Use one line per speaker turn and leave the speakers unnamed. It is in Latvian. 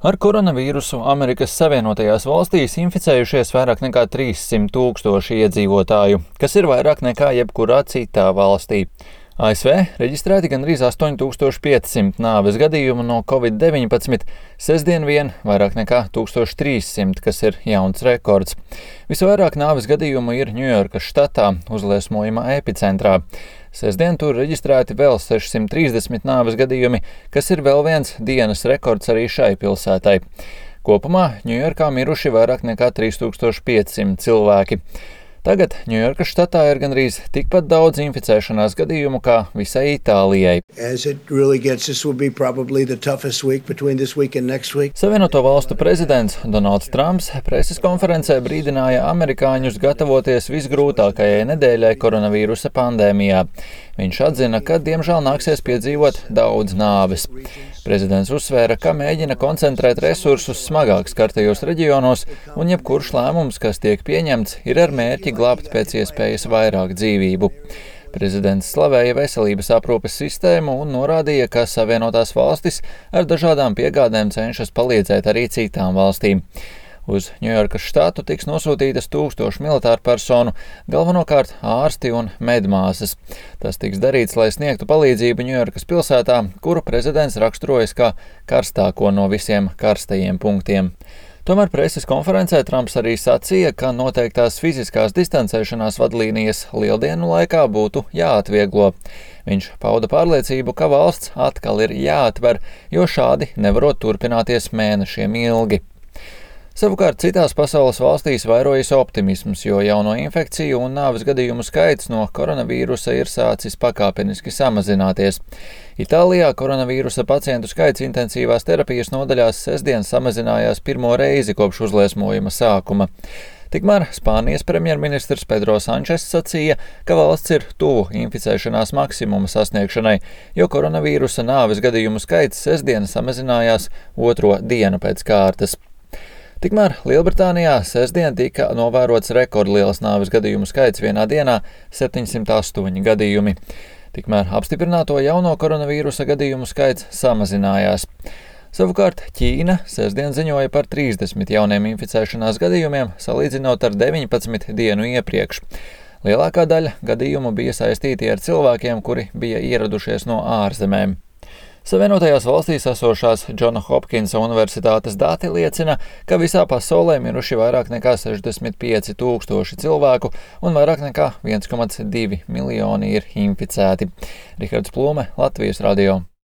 Ar koronavīrusu Amerikas Savienotajās valstīs inficējušies vairāk nekā 300 000 iedzīvotāju, kas ir vairāk nekā jebkurā citā valstī. ASV reģistrēti gandrīz 8500 nāves gadījumu no Covid-19, sestdien vien vairāk nekā 1300, kas ir jauns rekords. Visvairāk nāves gadījumu ir Ņujorkas štatā, uzliesmojuma epicentrā. Sestdien tur reģistrēti vēl 630 nāves gadījumi, kas ir vēl viens dienas rekords arī šai pilsētai. Kopumā Ņujorkā miruši vairāk nekā 3500 cilvēki. Tagad Ņujorkas štatā ir gandrīz tikpat daudz inficēšanās gadījumu kā visai Itālijai. Savienoto valstu prezidents Donalds Trumps preses konferencē brīdināja amerikāņus gatavoties visgrūtākajai nedēļai koronavīrusa pandēmijā. Viņš atzina, ka diemžēl nāksies piedzīvot daudz nāves. Prezidents uzsvēra, ka mēģina koncentrēt resursus smagāk skartajos reģionos, un jebkurš lēmums, kas tiek pieņemts, ir ar mērķi glābt pēc iespējas vairāk dzīvību. Prezidents slavēja veselības aprūpes sistēmu un norādīja, ka Savienotās valstis ar dažādām piegādēm cenšas palīdzēt arī citām valstīm. Uz Ņujorkas štatu tiks nosūtītas 1000 militāru personu, galvenokārt ārsti un medmāsas. Tas tiks darīts, lai sniegtu palīdzību Ņujorkas pilsētā, kuru prezidents raksturojas kā karstāko no visiem karstajiem punktiem. Tomēr preses konferencē Trumps arī sacīja, ka noteiktās fiziskās distancēšanās vadlīnijas lieldienu laikā būtu jāatvieglo. Viņš pauda pārliecību, ka valsts atkal ir jāatver, jo šādi nevarot turpināties mēnešiem ilgi. Savukārt citās pasaules valstīs vairojas optimisms, jo jauno infekciju un nāves gadījumu skaits no koronavīrusa ir sācis pakāpeniski samazināties. Itālijā koronavīrusa pacientu skaits intensīvās terapijas nodaļās sestdien samazinājās pirmo reizi kopš uzliesmojuma sākuma. Tikmēr Spānijas premjerministrs Pedro Sančes sacīja, ka valsts ir tuvu inficēšanās maksimuma sasniegšanai, jo koronavīrusa nāves gadījumu skaits sestdien samazinājās otro dienu pēc kārtas. Tikmēr Lielbritānijā sestdien tika novērots rekordliels nāves gadījumu skaits vienā dienā - 708 gadījumi. Tikmēr apstiprināto jauno koronavīrusa gadījumu skaits samazinājās. Savukārt Ķīna sestdien ziņoja par 30 jauniem inficēšanās gadījumiem, salīdzinot ar 19 dienu iepriekš. Lielākā daļa gadījumu bija saistīti ar cilvēkiem, kuri bija ieradušies no ārzemēm. Savienotajās valstīs esošās Džona Hopkinsa universitātes dati liecina, ka visā pasaulē miruši vairāk nekā 65 000 cilvēku un vairāk nekā 1,2 miljoni ir inficēti. Rihards Plūme, Latvijas radio.